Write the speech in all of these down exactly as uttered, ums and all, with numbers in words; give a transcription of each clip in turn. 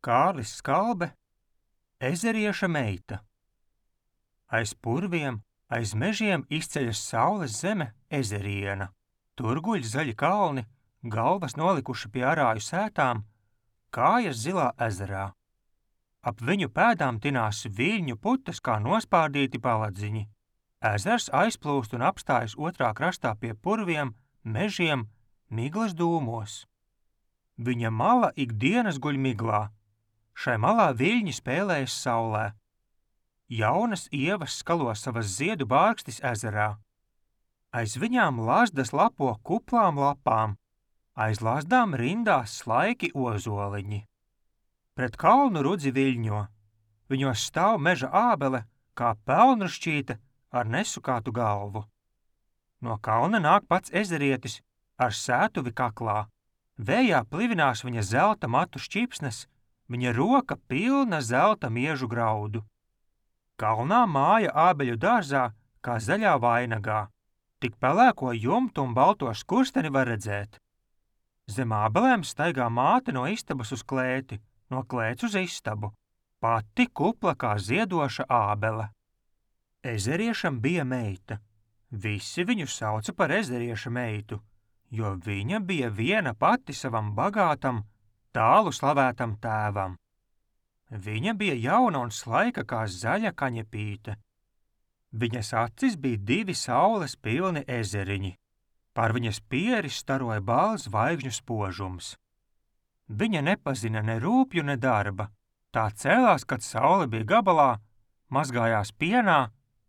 Kārlis Skalbe, ezerieša meita. Aiz purviem, aiz mežiem izceļas saules zeme ezeriena. Tur guļ zaļi kalni, galvas nolikuši pie arāju sētām, kājas zilā ezerā. Ap viņu pēdām tinās viļņu putas kā nospārdīti paladziņi. Ezers aizplūst un apstājas otrā krastā pie purviem, mežiem, miglas dūmos. Viņa mala ikdienas guļ miglā. Šai malā viļņi spēlējas saulē. Jaunas ievas skalo savas ziedu bārkstis ezerā. Aiz viņām lazdas lapo kuplām lapām, aiz lazdām rindās slaiki ozoliņi. Pret kalnu rudzi viļņo, viņos stāv meža ābele, kā pelnrušķīte ar nesukātu galvu. No kalna nāk pats ezerietis ar sētuvi kaklā. Vējā plivinās viņa zelta matu šķipsnes, viņa roka pilna zelta miežu graudu. Kalnā māja ābeļu dārzā, kā zaļā vainagā. Tik pelēko jumtu un balto skursteni var redzēt. Zem ābelēm staigā māte no istabas uz klēti, no klēts uz istabu. Pati kupla kā ziedoša ābele. Ezeriešam bija meita. Visi viņu sauca par ezerieša meitu, jo viņa bija viena pati savam bagātam, tālu slavētam tēvam. Viņa bija jauna un slaika kā zaļa kaņepīte. Viņas acis bija divi saules pilni ezeriņi. Par viņas pieri staroja balts zvaigžņu spožums. Viņa nepazina ne rūpju, ne darba. Tā cēlās, kad saule bija gabalā, mazgājās pienā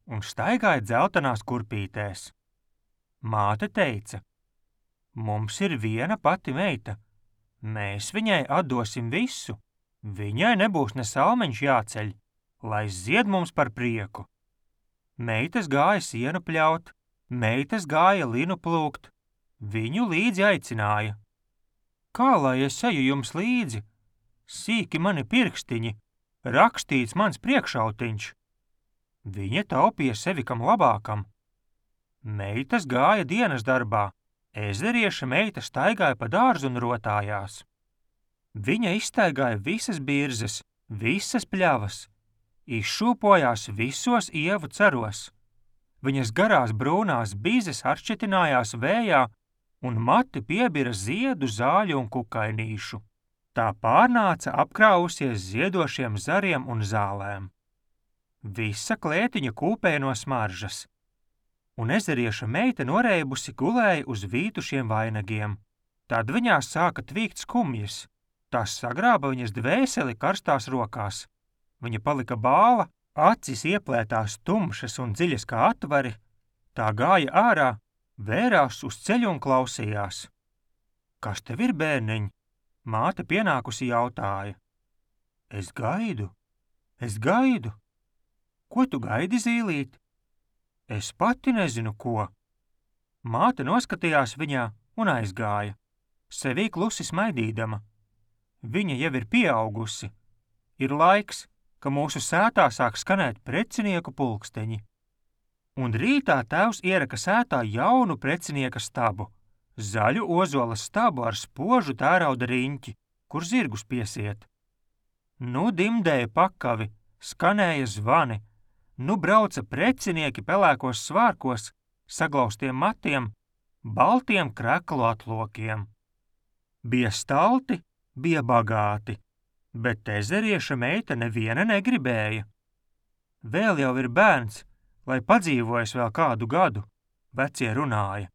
un staigāja dzeltenās kurpītēs. Māte teica: mums ir viena pati meita. Mēs viņai atdosim visu. Viņai nebūs ne salmeņš jāceļ, lai zied mums par prieku. Meitas gāja sienu pļaut, meitas gāja linu plūkt. Viņu līdzi aicināja. Kā lai es eju jums līdzi? Sīki mani pirkstiņi, rakstīts mans priekšautiņš. Viņa taupīja sevi kam labākam. Meitas gāja dienas darbā. Ezerieša meita staigāja pa dārzu un rotājās. Viņa izstaigāja visas birzes, visas pļavas, izšūpojās visos ievu ceros. Viņas garās brūnās bizes atšķetinājās vējā un mati piebira ziedu, zāļu un kukainīšu. Tā pārnāca apkrāvusies ziedošiem zariem un zālēm. Visa klētiņa kūpēja no smaržas. Un ezerieša meita noreibusi gulēja uz vītušiem vainagiem. Tad viņā sāka tvīkt skumjas. Tās sagrāba viņas dvēseli karstās rokās. Viņa palika bāla, acis ieplētās tumšas un dziļas kā atvari. Tā gāja ārā, vērās uz ceļu un klausījās. Kas tev ir, bērniņ? Māte pienākusi jautāja. Es gaidu, es gaidu. Ko tu gaidi, zīlīt? Es pati nezinu, ko. Māte noskatījās viņā un aizgāja, sevī klusi smaidīdama. Viņa jau ir pieaugusi. Ir laiks, ka mūsu sētā sāk skanēt precinieku pulksteņi. Un rītā tēvs ieraka sētā jaunu precinieka stabu, zaļu ozola stabu ar spožu tērauda riņķi, kur zirgus piesiet. Nu dimdēja pakavi, skanēja zvani, nu brauca precinieki pelēkos svārkos, saglaustiem matiem, baltiem kreklu atlokiem. Bija stalti, bija bagāti, bet ezerieša meita neviena negribēja. Vēl jau ir bērns, lai padzīvojas vēl kādu gadu, vecie runāja,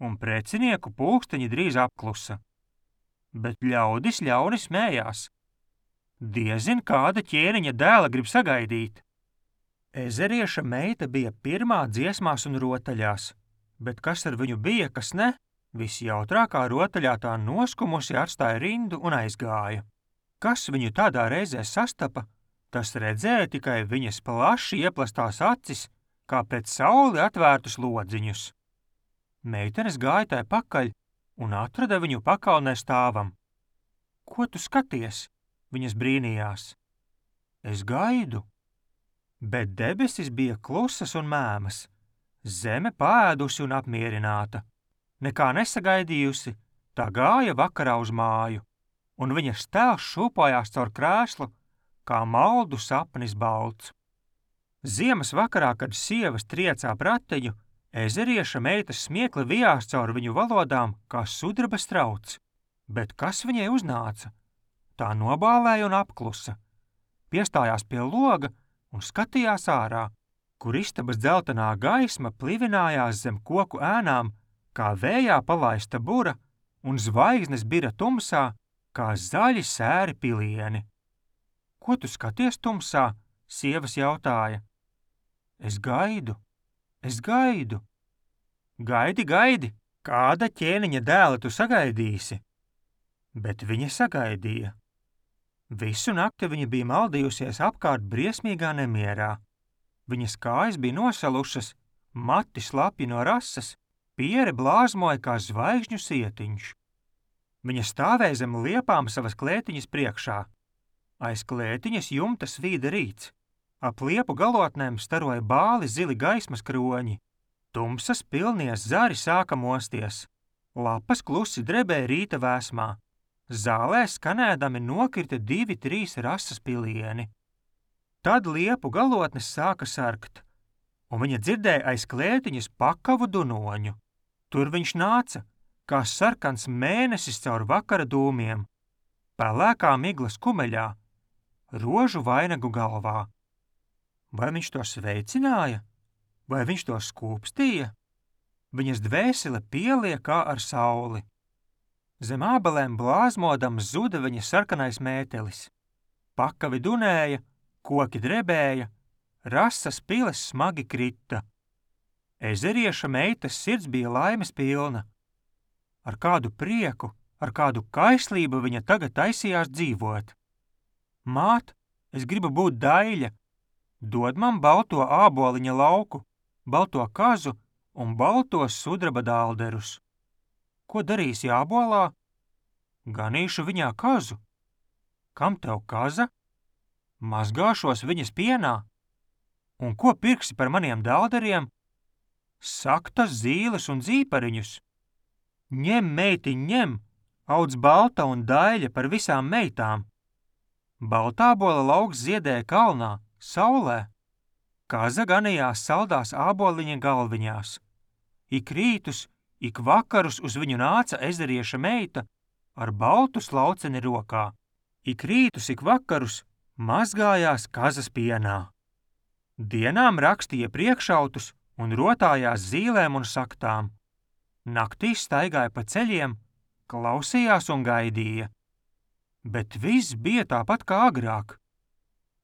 un precinieku pulksteņi drīz apklusa. Bet ļaudis ļauni smējās. Diezin kāda ķēniņa dēla grib sagaidīt. Ezerieša meita bija pirmā dziesmās un rotaļās, bet kas ar viņu bija, kas ne? Visjautrākā rotaļā tā noskumusi atstāja rindu un aizgāja. Kas viņu tādā reizē sastapa, tas redzēja tikai viņas plaši ieplastās acis, kā pret sauli atvērtus lodziņus. Meitenes gāja tai pakaļ un atrada viņu pakalnē stāvam. Ko tu skaties? Viņas brīnījās. Es gaidu. Bet debesis bija klusas un mēmas, zeme paēdusi un apmierināta. Nekā nesagaidījusi, tā gāja vakarā uz māju, un viņas tēls šūpojās caur krēslu, kā maldu sapnis balts. Ziemas vakarā, kad sievas triecā pratiņu, ezerieša meitas smiekli vijās caur viņu valodām kā sudraba strauts. Bet kas viņai uznāca? Tā nobālēja un apklusa, piestājās pie loga un skatījās ārā, kur istabas dzeltenā gaisma plivinājās zem koku ēnām, kā vējā palaista bura, un zvaigznes bira tumsā, kā zaļi sēri pilieni. Ko tu skaties tumsā? Sievas jautāja. Es gaidu, es gaidu. Gaidi, gaidi, kāda ķēniņa dēla tu sagaidīsi? Bet viņa sagaidīja. Visu nakti viņa bija maldījusies apkārt briesmīgā nemierā. Viņas kājas bija nosalušas, mati slapji no rases, piere blāzmoja kā zvaigžņu sietiņš. Viņa stāvēja zem liepām savas klētiņas priekšā. Aiz klētiņas jumta svīda rīts. Ap liepu galotnēm staroja bāli zili gaismas kroņi. Tumsas pilnies zari sāka mosties. Lapas klusi drebēja rīta vēsmā. Zālē skanēdami nokrita divi, trīs rases pilieni. Tad liepu galotnes sāka sarkt, un viņa dzirdēja aiz klētiņas pakavu dunoņu. Tur viņš nāca, kā sarkans mēnesis caur vakara dūmiem, pelēkā miglas kumeļā, rožu vainagu galvā. Vai viņš to sveicināja? Vai viņš to skūpstīja? Viņas dvēsele pielija kā ar sauli. Zem ābelēm blāzmodams zuda viņa sarkanais mētelis. Pakavi dunēja, koki drebēja, rasas piles smagi krita. Ezerieša meitas sirds bija laimes pilna. Ar kādu prieku, ar kādu kaislību viņa tagad taisījās dzīvot. Māt, es gribu būt daļa. Dod man balto āboliņa lauku, balto kazu un baltos sudraba dālderus. Ko darīsi ābolā? Ganīšu viņā kazu. Kam tev kaza? Mazgāšos viņas pienā. Un ko pirksi par maniem dālderiem? Saktas zīles un zīpariņus. Ņem, meitiņ, ņem, audz balta un daļa par visām meitām. Baltābola lauks ziedēja kalnā, saulē. Kaza ganījās saldās āboliņa galviņās. Ik rītus, ik vakarus uz viņu nāca ezerieša meita ar baltu slauceni rokā. Ik rītus, ik vakarus mazgājās kazas pienā. Dienām rakstīja priekšautus un rotājās zīlēm un saktām. Naktīs staigāja pa ceļiem, klausījās un gaidīja. Bet viss bija tāpat kā agrāk.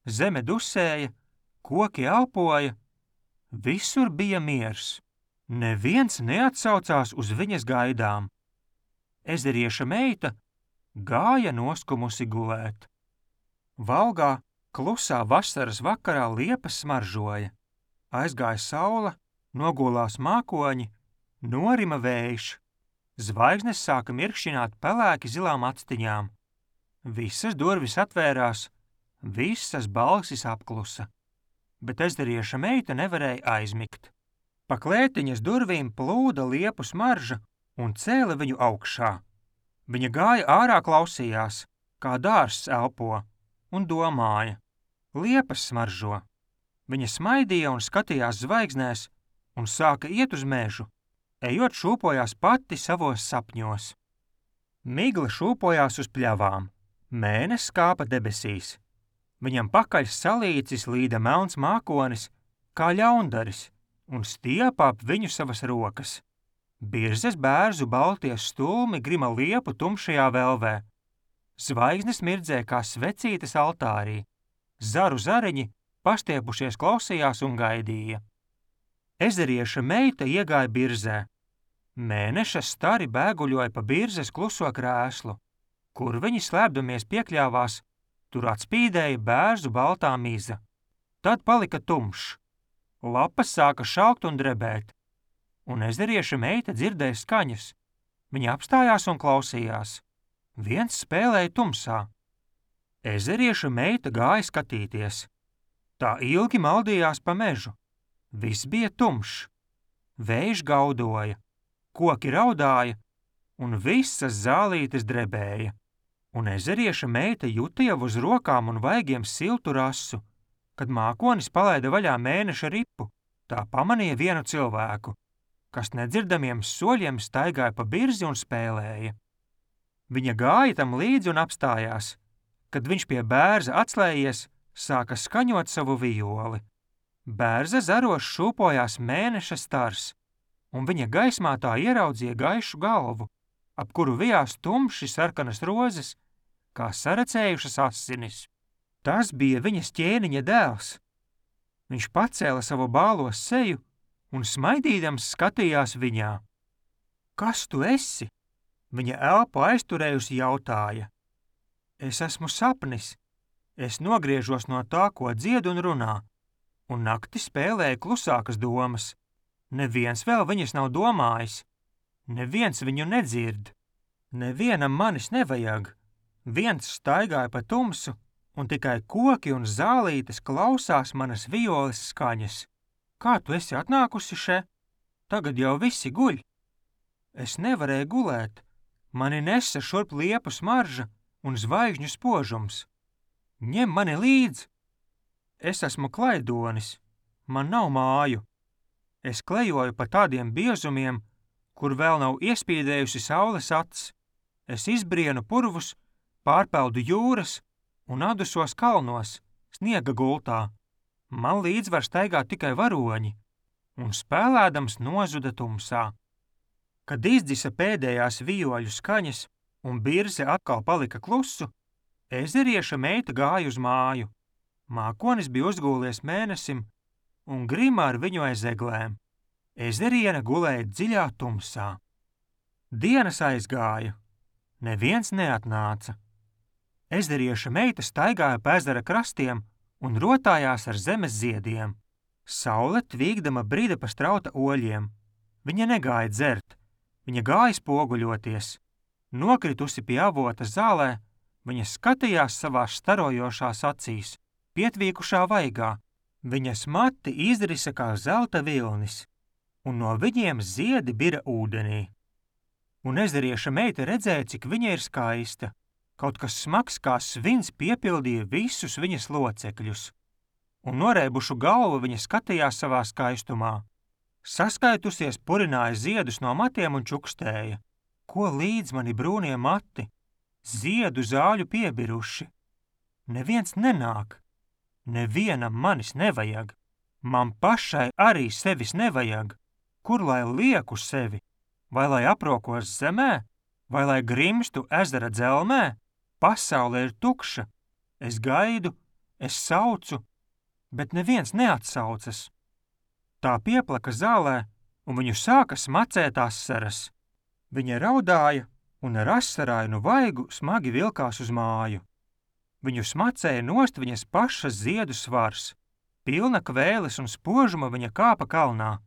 Zeme dusēja, koki elpoja, visur bija miers. Neviens neatsaucās uz viņas gaidām. Ezerieša meita gāja noskumusi gulēt. Valgā, klusā vasaras vakarā liepas smaržoja. Aizgāja saule, nogulās mākoņi, norima vējš. Zvaigznes sāka mirkšķināt pelēki zilām actiņām. Visas durvis atvērās, visas balsis apklusa. Bet ezerieša meita nevarēja aizmigt. Pa klētiņas durvīm plūda liepu smarža un cēla viņu augšā. Viņa gāja ārā klausījās, kā dārzs elpo, un domāja. Liepas smaržo. Viņa smaidīja un skatījās zvaigznēs un sāka iet uz mežu. Ejot šūpojās pati savos sapņos. Migla šūpojās uz pļavām. Mēnesis kāpa debesīs. Viņam pakaļ salīcis līda melns mākonis, kā ļaundaris, un stiepā ap viņu savas rokas. Birzes bērzu baltie stulmi grima liepu tumšajā velvē. Zvaigznes mirdzēja kā svecītes altārī. Zaru zariņi pastiepušies klausījās un gaidīja. Ezerieša meita iegāja birzē. Mēneša stari bēguļoja pa birzes kluso krēslu. Kur viņi slēpdamies piekļāvās, tur atspīdēja bērzu baltā miza. Tad palika tumšs. Lapas sāka šaukt un drebēt. Un ezerieša meita dzirdēja skaņas. Viņa apstājās un klausījās. Viens spēlēja tumsā. Ezerieša meita gāja skatīties. Tā ilgi maldījās pa mežu. Viss bija tumšs. Vējš gaudoja, koki raudāja un visas zālītes drebēja. un ezerieša meita juta jau uz rokām un vaigiem siltu rasu. Kad mākonis palaida vaļā mēneša ripu, tā pamanīja vienu cilvēku, kas nedzirdamiem soļiem staigāja pa birzi un spēlēja. Viņa gāja tam līdzi un apstājās. Kad viņš pie bērza atslējies, sāka skaņot savu vijoli. Bērza zaros šūpojās mēneša stars, un viņa gaismā tā ieraudzīja gaišu galvu, ap kuru vijās tumši sarkanas rozes, kā saracējušas asinis. Tas bija viņas ķēniņa dēls. Viņš pacēla savu bālo seju un smaidīdams skatījās viņā. Kas tu esi? Viņa elpu aizturējusi jautāja. Es esmu sapnis. Es nogriežos no tā, ko dzied un runā, un nakti spēlēju klusākas domas. Neviens vēl viņas nav domājis. Neviens viņu nedzird. Nevienam manis nevajag. Viens staigāja pa tumsu, un tikai koki un zālītes klausās manas violes skaņas. Kā tu esi atnākusi še? Tagad jau visi guļ. Es nevarēju gulēt. Mani nesa šurp liepu smarža un zvaigžņu spožums. Ņem mani līdz. Es esmu klaidonis. Man nav māju. Es klejoju pa tādiem biezumiem, kur vēl nav iespīdējusi saules acs. Es izbrienu purvus, pārpeldu jūras un adusos kalnos, sniega gultā. Man līdz var staigāt tikai varoņi, un spēlēdams nozuda tumsā. Kad izdzisa pēdējās vijoļu skaņas un birze atkal palika klusu, ezerieša meita gāja uz māju. Mākonis bija uzgūlies mēnesim un grima ar viņu aiz eglēm. Ezeriena gulēja dziļā tumsā. Dienas aizgāja. Neviens neatnāca. Ezerieša meita staigāja pa ezera krastiem un rotājās ar zemes ziediem. Saule tvīgdama brida pa strauta oļiem. Viņa negāja dzert. Viņa gāja spoguļoties. Nokritusi pie avota zālē, viņa skatījās savās starojošās acīs, pietvīkušā vaigā. Viņas mati izrisa kā zelta vilnis, un no viņiem ziedi bira ūdenī. Un ezerieša meita redzēja, cik viņa ir skaista. Kaut kas smags kā svins piepildīja visus viņas locekļus. Un norēbušu galvu viņa skatījās savā skaistumā. Saskaitusies purināja ziedus no matiem un čukstēja. Ko līdz mani brūnie mati? Ziedu zāļu piebiruši. Neviens nenāk. Nevienam manis nevajag. Man pašai arī sevis nevajag. Kur lai lieku sevi? Vai lai aprokos zemē? Vai lai grimstu ezera dzelmē? Pasaule ir tukša. Es gaidu, es saucu, bet neviens neatsaucas. Tā pieplaka zālē, un viņu sāka smacēt asaras. Viņa raudāja un ar asarainu vaigu smagi vilkās uz māju. Viņu smacēja nost viņas pašas ziedu svars. Pilna kvēles un spožuma viņa kāpa kalnā,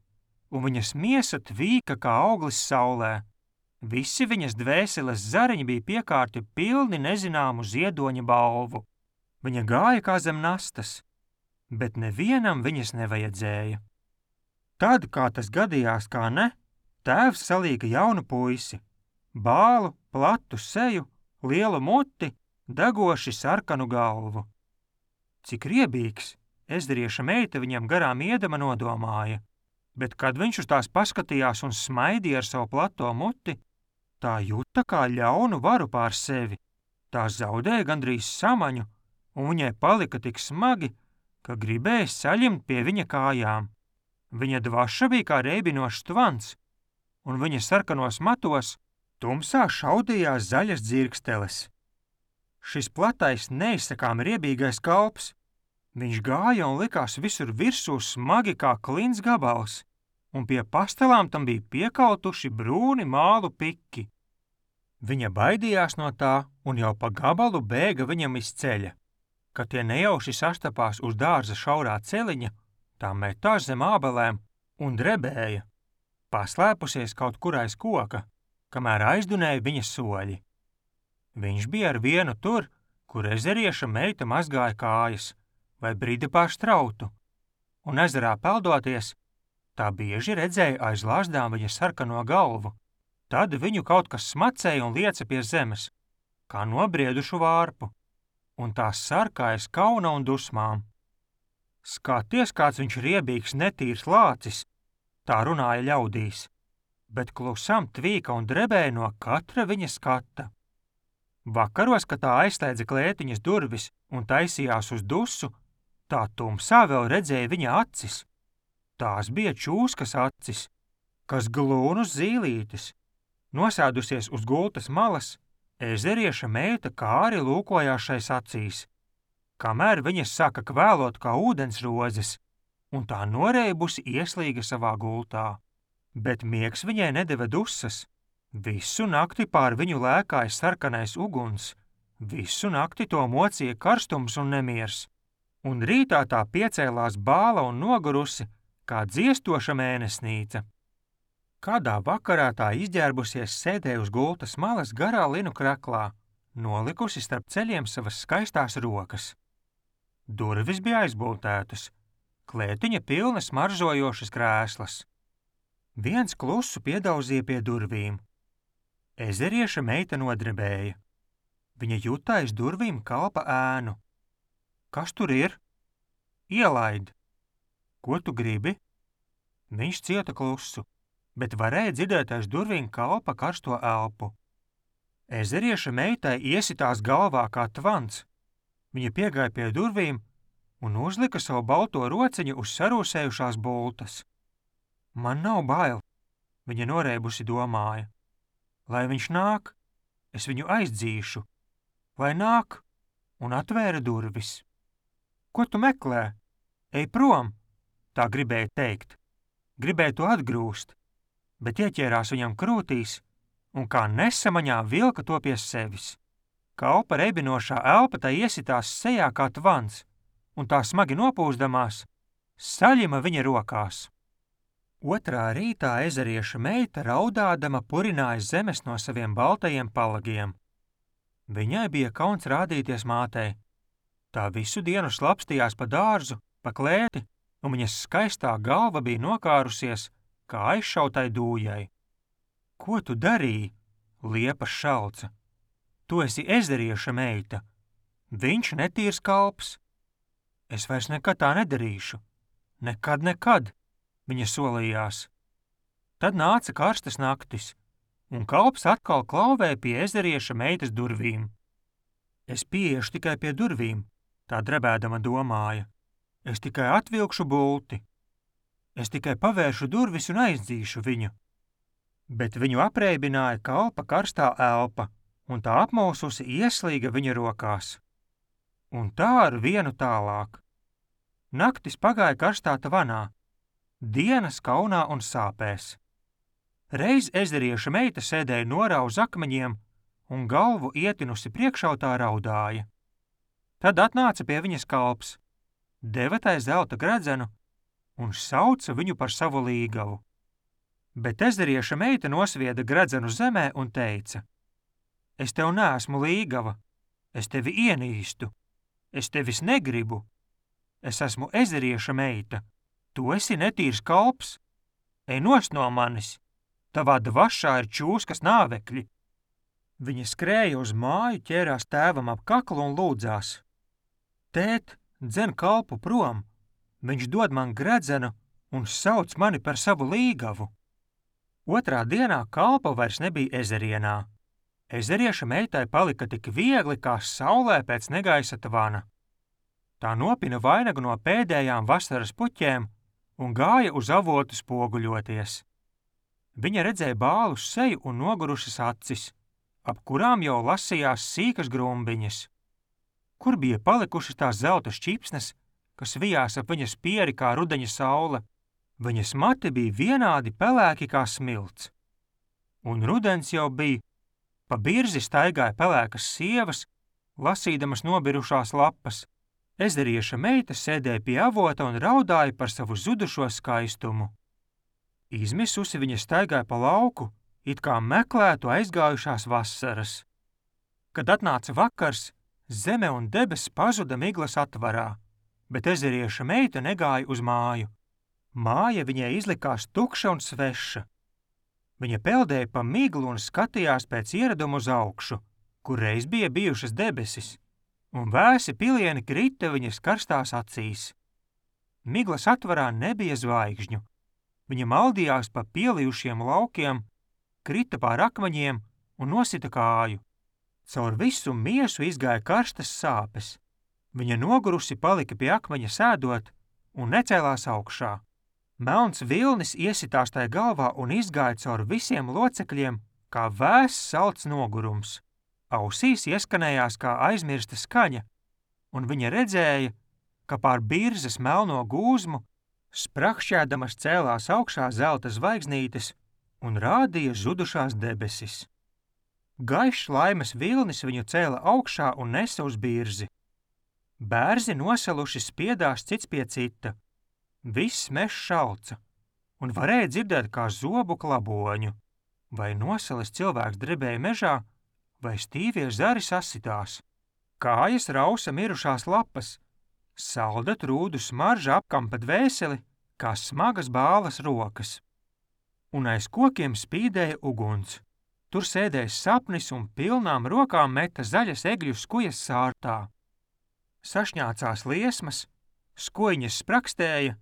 un viņas miesa tvīka kā auglis saulē. Visi viņas dvēseles zariņi bija piekārti pilni nezināmu ziedoņa balvu. Viņa gāja kā zem nastas, bet nevienam viņas nevajadzēja. Tad, kā tas gadījās, kā ne, tēvs salīga jaunu puisi, bālu, platu seju, lielu muti, degoši sarkanu galvu. Cik riebīgs, ezerieša meita viņam garām iedama nodomāja, bet kad viņš uz tās paskatījās un smaidīja ar savu plato muti, tā juta kā ļaunu varu pār sevi. Tā zaudēja gandrīz samaņu, un viņai palika tik smagi, ka gribēja saļimt pie viņa kājām. Viņa dvaša bija kā reibinošs tvans, un viņa sarkanos matos tumsā šaudījās zaļas dzirksteles. Šis platais, neizsakām riebīgais kalps, viņš gāja un likās visur virsū smagi kā klints gabals, un pie pastelām tam bija piekautuši brūni mālu piki. Viņa baidījās no tā un jau pa gabalu bēga viņam iz ceļa. Kad tie nejauši sastapās uz dārza šaurā celiņa, tā metās zem ābelēm un drebēja, paslēpusies kaut kur aiz koka, kamēr aizdunēja viņa soļi. Viņš bija ar vienu tur, kur ezerieša meita mazgāja kājas vai bridi pār strautu, un ezerā peldoties, tā bieži redzēja aiz lāzdām viņa sarkano galvu. Tad viņu kaut kas smacēja un lieca pie zemes. kā nobriedušu vārpu, un tās sarkājas kauna un dusmām. Skaties, kāds viņš riebīgs, netīrs lācis, tā runāja ļaudīs, bet klusam tvīka un drebēja no katra viņa skata. Vakaros, kad tā aizslēdza klētiņas durvis un taisījās uz dusu, tā tumsā vēl redzēja viņa acis. Tās bija čūskas acis, kas glūnus zīlītis. Nosēdusies uz gultas malas, ezerieša meita kāri lūkojās šais acīs, kamēr viņas sāka kvēlot kā ūdensrozes, un tā noreibusi ieslīga savā gultā. Bet miegs viņai nedeva dusas. Visu nakti pār viņu lēkāja sarkanais uguns, visu nakti to mocīja karstums un nemiers, un rītā tā piecēlās bāla un nogurusi, kā dziestoša mēnesnīca. Kādā vakarā tā izģērbusies sēdēja uz gultas malas garā linu kraklā, nolikusi starp ceļiem savas skaistās rokas. Durvis bija aizbultētas, klētiņa pilna smaržojošas krēslas. Viens klusu piedauzīja pie durvīm. Ezerieša meita nodrebēja. Viņa jutā aiz durvīm kalpa ēnu. Kas tur ir? Ielaid. Ko tu gribi? Viņš cieta klusu, bet varēja dzirdēt aiz durvīm kalpa karsto elpu. Ezerieša meitai iesitās galvā kā tvans. Viņa piegāja pie durvīm un uzlika savu balto rociņu uz sarūsējušās bultas. Man nav bail, viņa noreibusi domāja. Lai viņš nāk, es viņu aizdzīšu. Lai nāk, un atvēra durvis. Ko tu meklē? Ej prom, tā gribēja teikt. Gribēja to atgrūst, bet ieķērās viņam krūtīs un kā nesamaņā vilka to pie sevis. Kalpa rebinošā elpa tai iesitās sejā kā tvans, un tā smagi nopūsdamās, saļima viņa rokās. Otrā rītā ezerieša meita raudādama purināja zemes no saviem baltajiem palagiem. Viņai bija kauns rādīties mātei. Tā visu dienu slapstījās pa dārzu, pa klēti, un viņas skaistā galva bija nokārusies, kā aizšautai dūjai. Ko tu darīji? Liepa šalca. Tu esi ezerieša meita. Viņš netīrs kalps. Es vairs nekad tā nedarīšu. Nekad, nekad. Viņa solījās. Tad nāca karstas naktis, un kalps atkal klauvēja pie ezerieša meitas durvīm. Es pieiešu tikai pie durvīm, tā drebēdama domāja. Es tikai atvilkšu bulti. Es tikai pavēršu durvis un aizdzīšu viņu. Bet viņu apreibināja kalpa karstā elpa, un tā apmaususi ieslīga viņa rokās. Un tā ar vienu tālāk. Naktis pagāja karstā tvanā. Dienas kaunā un sāpēs. Reiz ezerieša meita sēdēja norā uz akmeņiem un galvu ietinusi priekšautā raudāja. Tad atnāca pie viņas kalps, deva tai zelta gredzenu un sauca viņu par savu līgavu. Bet ezerieša meita nosvieda gredzenu zemē un teica: Es tev neesmu līgava, es tevi ienīstu, es tevis negribu, es esmu ezerieša meita. Tu esi netīrs kalps, ej nost no manis, tavā dvašā ir čūskas nāvekļi. Viņa skrēja uz māju, ķērās tēvam ap kaklu un lūdzās. Tēt, dzen kalpu prom, viņš dod man gredzenu un sauc mani par savu līgavu. Otrā dienā kalpa vairs nebija ezerienā. Ezerieša meitai palika tik viegli kā saulē pēc negaisa tvana. Tā nopina vainagu no pēdējām vasaras puķēm un gāja uz avotu spoguļoties. Viņa redzēja bālus seju un nogurušas acis, ap kurām jau lasījās sīkas grumbiņas. Kur bija palikušas tās zelta šķipsnes, kas vijās ap viņas pieri kā rudeņa saule? Viņas mati bija vienādi pelēki kā smilts. Un rudens jau bija, pa birzi staigāja pelēkas sievas, lasīdamas nobirušās lapas. Ezerieša meita sēdēja pie avota un raudāja par savu zudušo skaistumu. Izmisusi viņa staigāja pa lauku, it kā meklētu aizgājušās vasaras. Kad atnāca vakars, zeme un debesis pazuda miglas atvarā, bet ezerieša meita negāja uz māju. Māja viņai izlikās tukša un sveša. Viņa peldēja pa miglu un skatījās pēc ieradumu uz augšu, kur reiz bija bijušas debesis, un vēsi pilieni krita viņas karstās acīs. Miglas atvarā nebija zvaigžņu. Viņa maldījās pa pielijušiem laukiem, krita pār akmeņiem un nosita kāju. Caur visu miesu izgāja karstas sāpes. Viņa nogurusi palika pie akmeņa sēdot un necēlās augšā. Melns vilnis iesitās tai galvā un izgāja caur visiem locekļiem, kā vēss salds nogurums. Ausīs ieskanējās kā aizmirsta skaņa, un viņa redzēja, ka pār birzes melno gūzmu sprakšķēdamas cēlās augšā zelta zvaigznītes un rādīja zudušās debesis. Gaišs laimes vilnis viņu cēla augšā un nesa uz birzi. Bērzi nosaluši spiedās cits pie cita. Viss mežs šalca, un varēja dzirdēt kā zobu klaboņu. Vai nosalis cilvēks drebēja mežā, vai stīvie zari sasitās. Kājas rausa mirušās lapas, salda trūdu smarža apkampa dvēseli, kā smagas bālas rokas. Un aiz kokiem spīdēja uguns. Tur sēdēja sapnis un pilnām rokām meta zaļas egļu skujas sārtā. Sašņācās liesmas, skojiņas sprakstēja,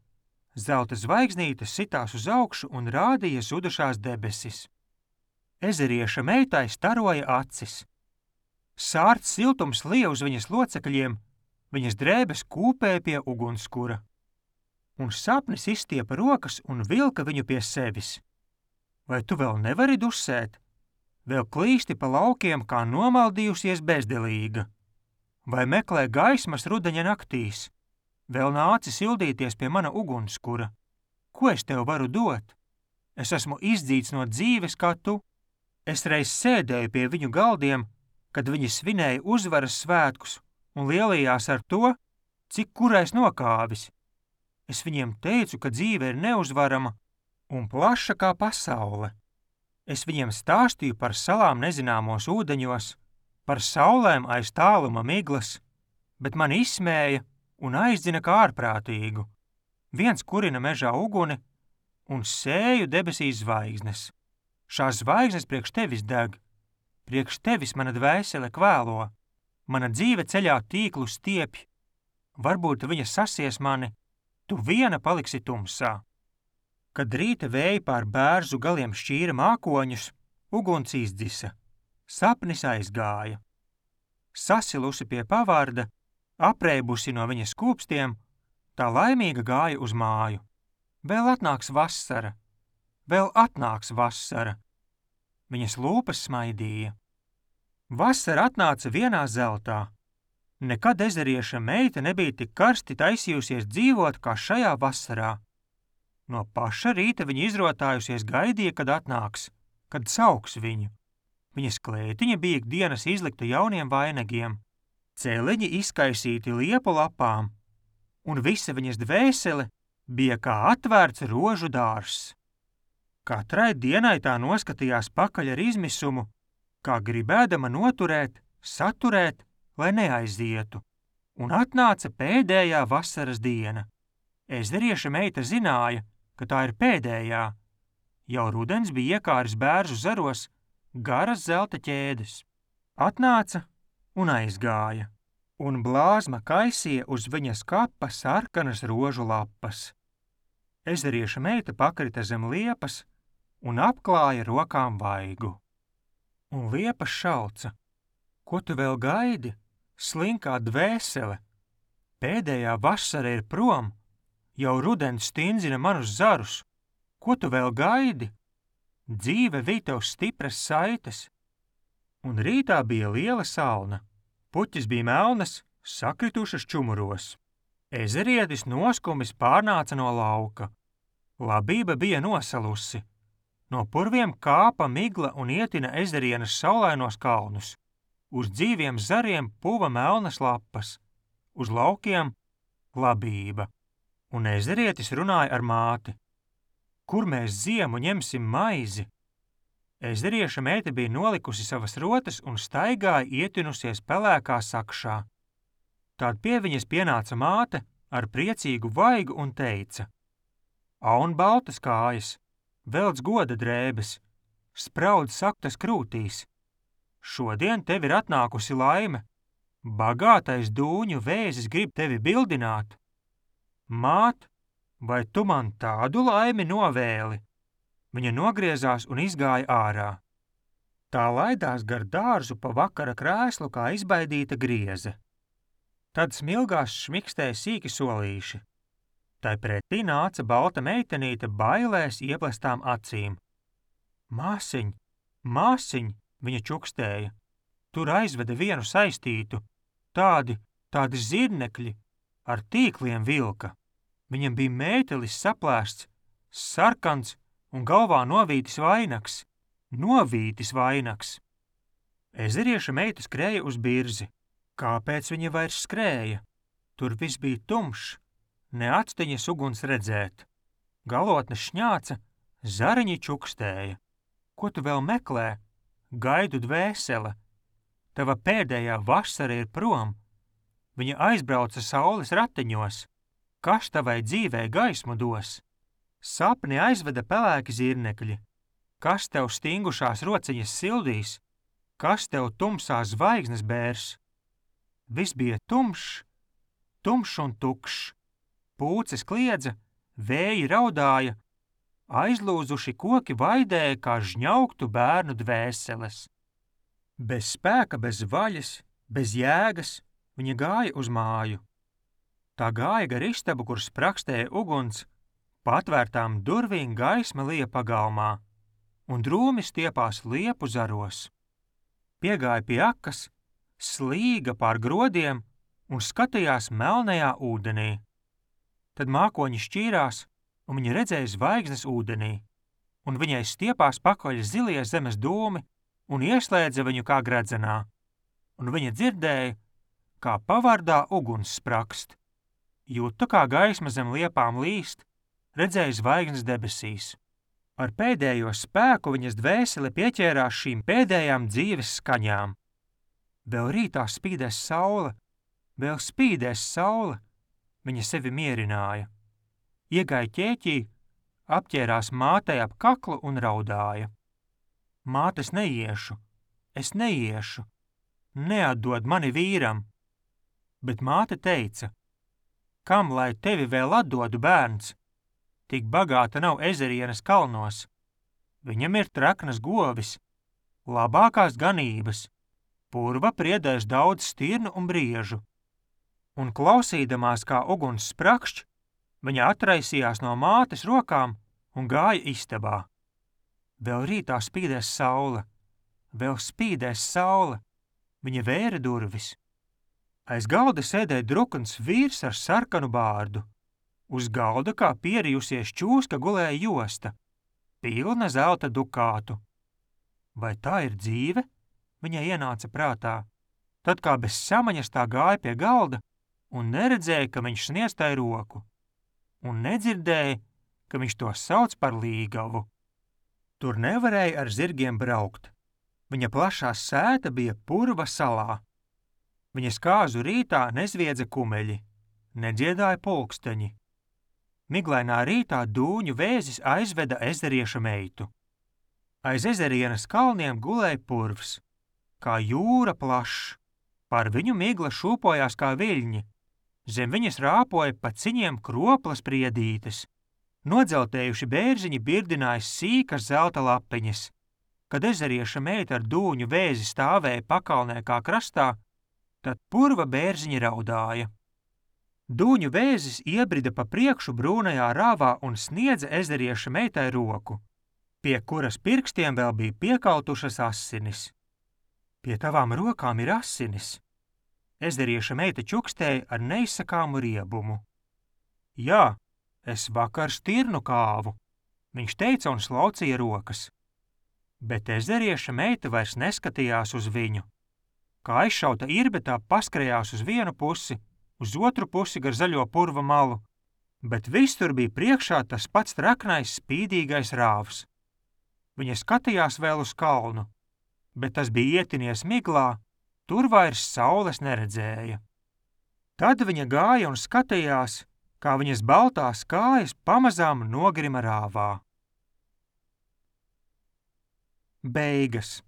zelta zvaigznītes sitās uz augšu un rādīja zudušās debesis. Ezerieša meitai staroja acis. Sārts siltums lija uz viņas locekļiem, viņas drēbes kūpēja pie ugunskura. Un sapnis izstiepa rokas un vilka viņu pie sevis. Vai tu vēl nevari dusēt? Vēl klīsti pa laukiem, kā nomaldījusies bezdelīga. Vai meklē gaismas rudeņa naktīs? Vēl nāci sildīties pie mana ugunskura. Ko es tev varu dot? Es esmu izdzīts no dzīves kā tu. Es reiz sēdēju pie viņu galdiem, kad viņi svinēja uzvaras svētkus un lielījās ar to, cik kurais nokāvis. Es viņiem teicu, ka dzīve ir neuzvarama un plaša kā pasaule. Es viņiem stāstīju par salām nezināmos ūdeņos, par saulēm aiz tāluma miglas, bet mani izsmēja un aizdzina kā ārprātīgu. Viens kurina mežā uguni un sēju debesīs zvaigznes. Šās zvaigznes priekš tevis deg, priekš tevis mana dvēsele kvēlo, mana dzīve ceļā tīklu stiepj. Varbūt viņa sasies mani, tu viena paliksi tumsā. Kad rīta vēji pār bērzu galiem šķīra mākoņus, uguns izdzisa, sapnis aizgāja. Sasilusi pie pavārda, apreibusi no viņas kūpstiem, tā laimīga gāja uz māju. Vēl atnāks vasara, vēl atnāks vasara. Viņas lūpas smaidīja. Vasara atnāca vienā zeltā. Nekad ezerieša meita nebija tik karsti taisījusies dzīvot kā šajā vasarā. No paša rīta viņa izrotājusies gaidīja, kad atnāks, kad sauks viņu. Viņas klētiņa bija ikdienas izlikta jauniem vainagiem, celiņi izkaisīti liepu lapām, un visa viņas dvēsele bija kā atvērts rožu dārzs. Katrai dienai tā noskatījās pakaļ ar izmisumu, kā gribēdama noturēt, saturēt, lai neaizietu, un atnāca pēdējā vasaras diena. Ezerieša meita zināja, ka tā ir pēdējā. Jau rudens bija iekāris bērzu zaros garas zelta ķēdes. Atnāca un aizgāja, un blāzma kaisīja uz viņas kapa sarkanas rožu lapas. Ezerieša meita pakrita zem liepas un apklāja rokām vaigu. Un liepas šauca: ko tu vēl gaidi, slinkā dvēsele? Pēdējā vasara ir prom, jau rudens stindzina manus zarus. Ko tu vēl gaidi? Dzīve vij tev stipras saites. Un rītā bija liela salna. Puķis bija melnas, sakritušas čumuros. Ezerietis noskumis pārnāca no lauka. Labība bija nosalusi. No purviem kāpa migla un ietina ezerienas saulainos kalnus. Uz dzīviem zariem puva melnas lapas. Uz laukiem labība. Un ezerietis runāja ar māti. Kur mēs ziemu ņemsim maizi? Ezerieša meita bija nolikusi savas rotas un staigāja ietinusies pelēkā sakšā. Tād pie viņas pienāca māte ar priecīgu vaigu un teica: aun baltas kājas, velc goda drēbes, spraud saktas krūtīs. šodien tev ir atnākusi laime. Bagātais dūņu vēzis grib tevi bildināt. Māt, vai tu man tādu laimi novēli? Viņa nogriezās un izgāja ārā. Tā laidās gar dārzu pa vakara krēslu kā izbaidīta grieze. Tad smilgās šmikstēja sīki solīši. Tai pretī nāca balta meitenīte bailēs ieplestām acīm. Māsiņ, māsiņ, viņa čukstēja. Tur aizveda vienu saistītu, tādi, tādi zirnekļi, ar tīkliem vilka. Viņam bija mētelis saplēsts, sarkans un galvā novītis vainags. Novītis vainags. Ezerieša meita skrēja uz birzi. Kāpēc viņa vairs skrēja? Tur viss bija tumšs, ne actiņas uguns redzēt. Galotne šņāca, zariņi čukstēja. Ko tu vēl meklē? Gaidu dvēsele. Tava pēdējā vasara ir prom. Viņa aizbrauca saules ratiņos. Kas tavai dzīvē gaismu dos? Sapni aizveda pelēki zirnekļi. Kas tev stingušās rociņas sildīs? Kas tev tumsā zvaigznes bērs? Viss bija tumšs, tumšs un tukšs. Pūces kliedza, vēji raudāja, aizlūzuši koki vaidēja kā žņaugtu bērnu dvēseles. Bez spēka, bez vaļas, bez jēgas viņa gāja uz māju. Tā gāja gar istabu, kur sprakstēja uguns, patvērtām durvīm gaisma lija pagalmā, un drūmi stiepās liepu zaros. Piegāja pie akas, slīga pār grodiem un skatījās melnajā ūdenī. Tad mākoņi šķīrās, un viņa redzēja zvaigznes ūdenī, un viņai stiepās pakaļ zilie zemes dūmi un ieslēdza viņu kā gredzenā, un viņa dzirdēja, kā pavardā uguns sprakst. Jūta, kā gaisma zem liepām līst, redzēja zvaigznes debesīs. Ar pēdējo spēku viņas dvēsele pieķērās šīm pēdējām dzīves skaņām. Vēl rītā spīdēs saule, vēl spīdēs saule, viņa sevi mierināja. Iegāja ķēķī, apķērās mātei ap kaklu un raudāja. Māte, es neiešu, es neiešu, neatdod mani vīram. Bet māte teica, kam lai tevi vēl atdodu, bērns? Tik bagāta nav Ezerienas kalnos. Viņam ir traknas govis, labākās ganības, purva priedēs daudz stirnu un briežu. Un klausīdamās, kā uguns sprakšķ, viņa atraisījās no mātes rokām un gāja istabā. Vēl rītā spīdēs saule, vēl spīdēs saule, viņa vēra durvis. Aiz galda sēdēja drukns vīrs ar sarkanu bārdu. Uz galda kā pierijusies čūska gulēja josta, pilna zelta dukātu. Vai tā ir dzīve? Viņai ienāca prātā. Tad kā bez samaņas tā gāja pie galda un neredzēja, ka viņš sniedz tai roku. Un nedzirdēja, ka viņš to sauc par līgavu. Tur nevarēja ar zirgiem braukt. Viņa plašā sēta bija purva salā. Viņas kāzu rītā nezviedza kumeļi, nedziedāja pulksteņi. Miglainā rītā dūņu vēzis aizveda ezerieša meitu. Aiz Ezerienas kalniem gulēja purvs, kā jūra plašs, par viņu migla šūpojās kā viļņi, zem viņas rāpoja pa ciņiem kroplas priedītes, nodzeltējuši bērziņi birdināja sīkas zelta lapiņas. Kad ezerieša meita ar dūņu vēzi stāvēja pakalnē kā krastā, tad purva bērziņi raudāja. Dūņu vēzis iebrida pa priekšu brūnajā rāvā un sniedza ezerieša meitai roku, pie kuras pirkstiem vēl bija piekautušas asinis. Pie tavām rokām ir asinis. Ezerieša meita čukstēja ar neizsakāmu riebumu. Jā, es vakar stirnu kāvu, viņš teica un slaucīja rokas. Bet ezerieša meita vairs neskatījās uz viņu. Kā aizšauta irbe, tā paskrējās uz vienu pusi, uz otru pusi gar zaļo purva malu, bet viss tur bija priekšā tas pats traknais, spīdīgais rāvs. Viņa skatījās vēl uz kalnu, bet tas bija ietinies miglā, tur vairs saules neredzēja. Tad viņa gāja un skatījās, kā viņas baltās kājas pamazām nogrima rāvā. Beigas.